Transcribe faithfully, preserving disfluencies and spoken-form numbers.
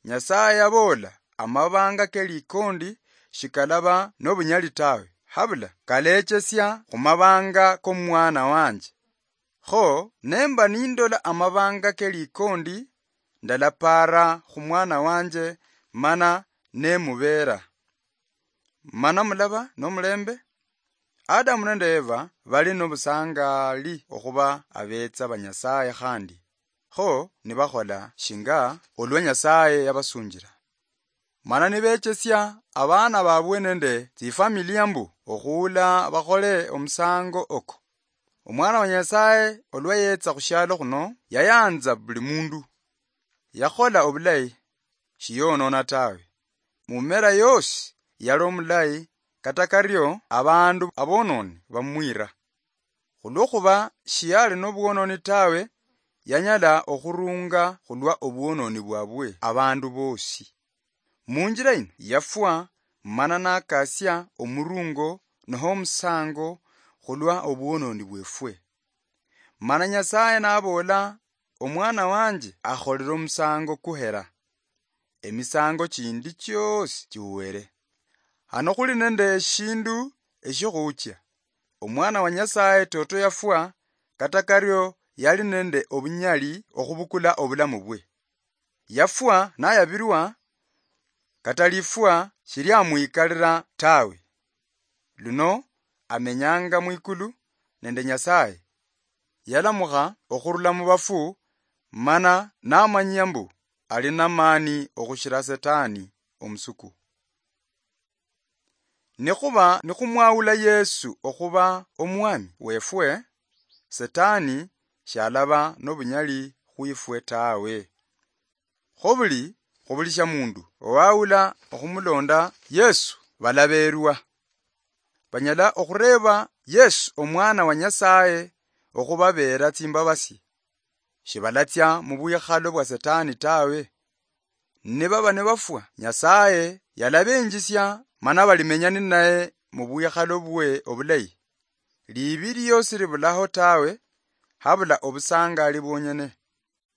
Nyasaye yaboola, "Amabanga ke likondi shikalaba nobunyali tawe, habula kalechesia khumabanga komwana wanje. Kho nemba nindola amabanga ke likondi, ndalapaara khumwana wanje mana nemubeera." Mana mulaba nomulembe? Adamu nende Eva bali nobusangali okhuba abetsa ba Nyasaye khandi, kho nibakhola shinga olwa Nyasaye yabasunjila. Mana nibechesia abaana babwe nende tsifamilia mbu okhuula bakhole omusango oko. Omwana wa Nyasaye olwa yetsa khushialo khuno, yayanza buli mundu. Yakhola obulayi, shiyonona tawe. Mumera yosi yali omulayi, kata kario abandu abononi bamwira. Khulwokhuba shiyali nobwononi tawe, yanyala okhurunga khulwa obwononi bwabwe abandu bosi. Munjila yino yafwa, mana nakasia omurungo noho omusango khulwa obwononi bwefwe. Mana Nyasaye naboola, "Omwana wanje akholile omusango kuhera emisango chindi chiosi chiuwere." Hano khuli nende eshindu eshikhuchia. Omwana wa Nyasaye toto yafwa, kata kario yali nende obunyali okhubukula obulamu bwe. Yafwa nayabilwa, kata lifwa shiliamwikalila tawe. Luno amenyanga mwikulu nende Nyasaye. Yalamukha okhurula mubafu, mana namanyia mbu ali namani okhushila Setani omusuku. Nikhuba nikhumwawula Yesu okhuba Omwami wefwe, Setani shalaba nobunyali khwifwe tawe. Khobuli khubulisha mundu owawula okhumulonda Yesu balaberwa. Banyala okhureeba Yesu, Omwana wa Nyasaye, okhubabeera tsimbabasi. Shibalatsia mubwikhalo bwa Setani tawe. Nibaba nibafwa, Nyasaye yalabenjisia mana balimenya ninaye mubwikhalo bwe obulayi. Liibi liosi libulaho tawe, habula obusangali bwonyene.